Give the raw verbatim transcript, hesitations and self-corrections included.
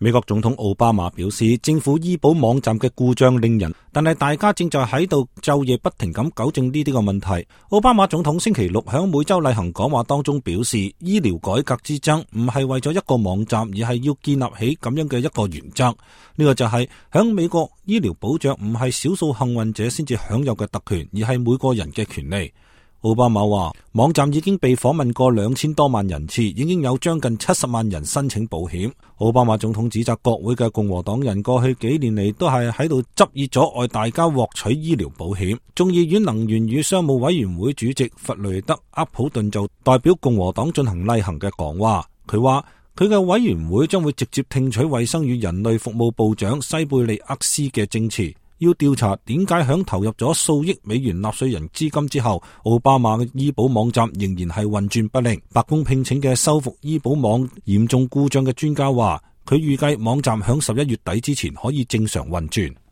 美國總統奧巴馬表示，政府醫保網站嘅故障令人，但係大家正在喺度晝夜不停咁糾正呢啲個問題。奧巴馬總統星期六響每周例行講話當中表示，醫療改革之爭唔係為咗一個網站，而係要建立起咁樣嘅一個原則。呢個就係響美國醫療保障唔係少數幸運者先至享有嘅特權，而係每個人嘅權利。奧巴馬話，網站已經被訪問過兩千多萬人次，已經有將近七十萬人申請保險。奧巴馬總統指責國會嘅共和黨人過去幾年嚟都係喺度執意阻礙大家獲取醫療保險。眾議院能源與商務委員會主席弗雷德·厄普頓就代表共和黨進行例行嘅講話，佢話佢嘅委員會將會直接聽取衛生與人類服務部長西貝利厄斯嘅證詞，要調查點解響投入咗數億美元納稅人資金之後，奧巴馬嘅醫保網站仍然係運轉不靈。白宮聘請嘅修復醫保網嚴重故障嘅專家話，佢預計網站響十一月底之前可以正常運轉。